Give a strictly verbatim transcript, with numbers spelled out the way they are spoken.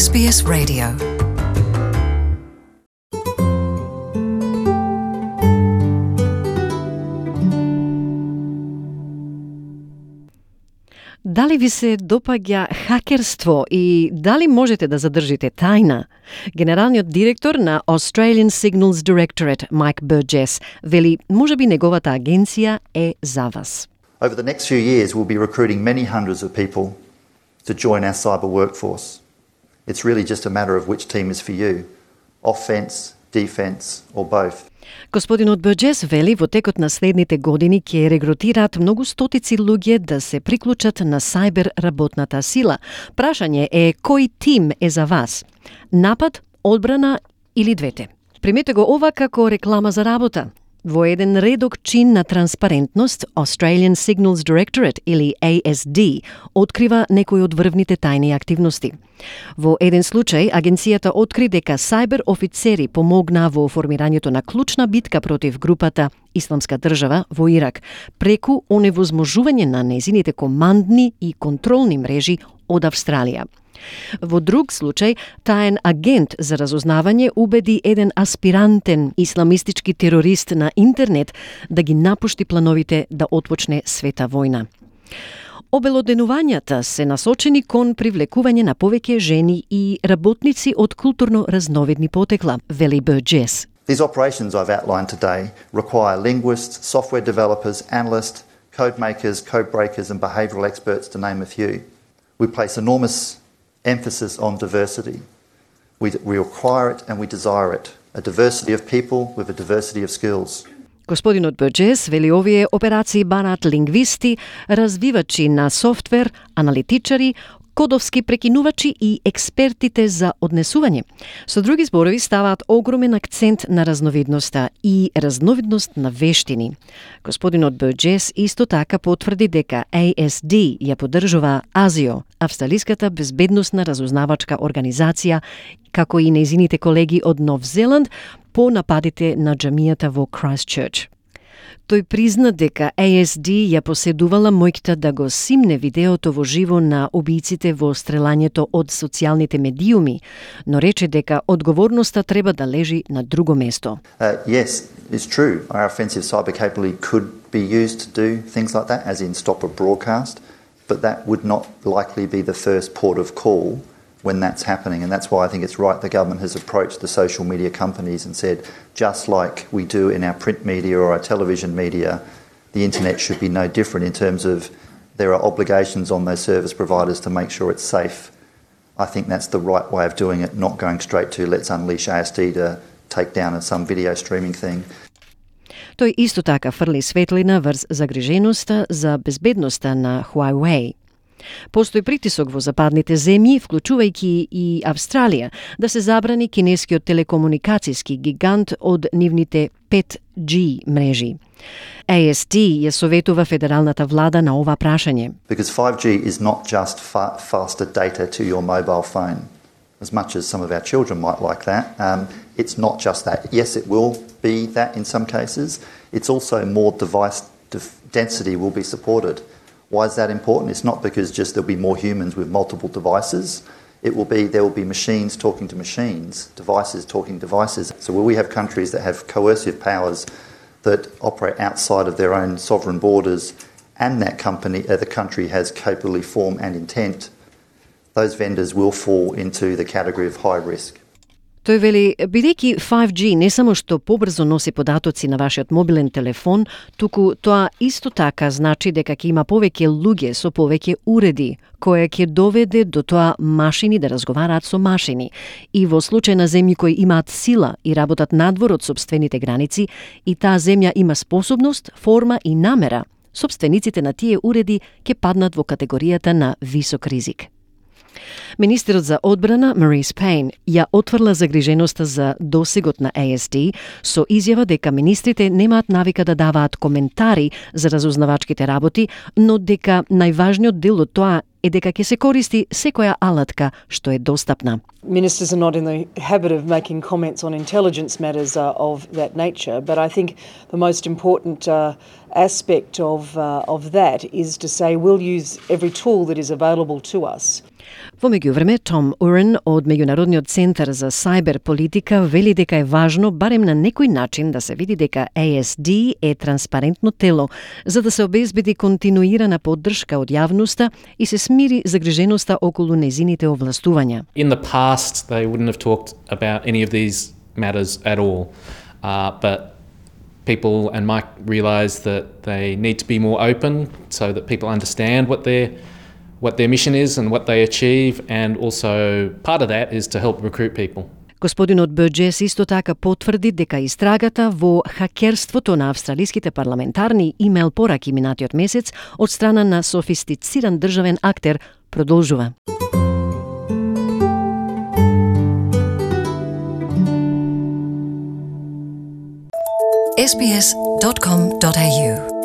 С Б С Radio. Дали ви се допаѓа хакерство и дали можете да задржите тајна? Генералниот директор на Australian Signals Directorate, Майк Бурджес, вели можеби неговата агенција е за вас. Over the next few years, we'll be recruiting many hundreds of people to join our cyber workforce. It's really just a matter of which team is for you, offense, defense, or both. Господинот Бурджес вели во текот на следните години ќе регрутираат многу стотици луѓе да се приклучат на сајбер работната сила. Прашање е кој тим е за вас? Напад, одбрана или двете? Примете го ова како реклама за работа. Во еден редок чин на транспарентност, Australian Signals Directorate или A S D открива некои од врвните тајни активности. Во еден случај, агенцијата откри дека сајбер офицери помогнаа во формирањето на клучна битка против групата Исламска држава во Ирак, преку оневозможување на незините командни и контролни мрежи од Австралија. Во друг случај, таен агент за разузнавање убеди еден аспирантен исламистички терорист на интернет да ги напушти плановите да отпочне света војна. Обелоденувањата се насочени кон привлекување на повеќе жени и работници од културно разновидни потекла, вели Бурджес. These operations I've outlined today require linguists, software developers, analysts, code makers, code breakers and behavioural experts, to name a few. We place enormous emphasis on diversity. We, we require it and we desire it. A diversity of people with a diversity of skills. Господинот Бурджес вели овие операции бараат лингвисти, развивачи на софтвер, аналитичари, кодовски прекинувачи и експертите за однесување. Со други зборови ставаат огромен акцент на разновидноста и разновидност на вештини. Господинот Бурджес исто така потврди дека A S D ја поддржува АЗИО, Австралиската безбедносна разузнавачка организација, како и нејзините колеги од Нов Зеланд по нападите на џамијата во Крајстчерч. Тој призна дека A S D ја поседувала моќта да го симне видеото во живо на убијците во стрелањето од социјалните медиуми, но рече дека одговорноста треба да лежи на друго место. Uh, yes, it's true. Our offensive cyber capability could be used to do things like that, as in stop a broadcast, but that would not likely be the first port of call when that's happening, and that's why I think it's right the government has approached the social media companies and said, just like we do in our print media or our television media, the internet should be no different in terms of there are obligations on those service providers to make sure it's safe. I think that's the right way of doing it, not going straight to let's unleash A S D to take down some video streaming thing. Тој исто така фрли светлина врз загриженоста за безбедноста на Huawei. Постои притисок во западните земји, вклучувајќи и Австралија, да се забрани кинескиот телекомуникацијски гигант од нивните пет G мрежи. A S D ја советува федералната влада на ова прашање. Because five G is not just fa- faster data to your mobile phone, as much as some of our children might like that. Um, it's not just that. Yes, it will be that in some cases. It's also more device def- density will be supported. Why is that important? It's not because just there'll be more humans with multiple devices. It will be there will be machines talking to machines, devices talking to devices. So where we have countries that have coercive powers that operate outside of their own sovereign borders, and that company, uh, the country has capability, form and intent, those vendors will fall into the category of high risk. Тој вели, бидејќи five G не само што побрзо носи податоци на вашиот мобилен телефон, туку тоа исто така значи дека ќе има повеќе луѓе со повеќе уреди, која ќе доведе до тоа машини да разговараат со машини. И во случај на земји кои имаат сила и работат надвор од сопствените граници, и таа земја има способност, форма и намера, сопствениците на тие уреди ќе паднат во категоријата на висок ризик. Министерот за одбрана Марис Пейн ја отврла загриженоста за досегот на A S D со изјава дека министрите немаат навика да даваат коментари за разузнавачките работи, но дека најважниот дел од тоа е дека ќе се користи секоја алатка што е достапна. Ministers are not in the habit of making comments on intelligence matters uh, of that nature, but I think the most important uh, aspect of uh, of that is to say we'll use every tool that is available to us. Во меѓувреме, Том Урен од Меѓународниот центар за сајбер политика вели дека е важно барем на некој начин да се види дека A S D е транспарентно тело, за да се обезбеди континуирана поддршка од јавноста и се смири загриженоста околу незините овластувања. In the past, they wouldn't have talked about any of these matters at all, uh, but people and Mike realised that they need to be more open so that people understand what their what their mission is and what they achieve, and also part of that is to help recruit people. Господинот Бурџес исто така потврди дека истрагата во хакерството на австралиските парламентарни имейл пораки минатиот месец од страна на софистициран државен актер продолжува. S B S dot com dot A U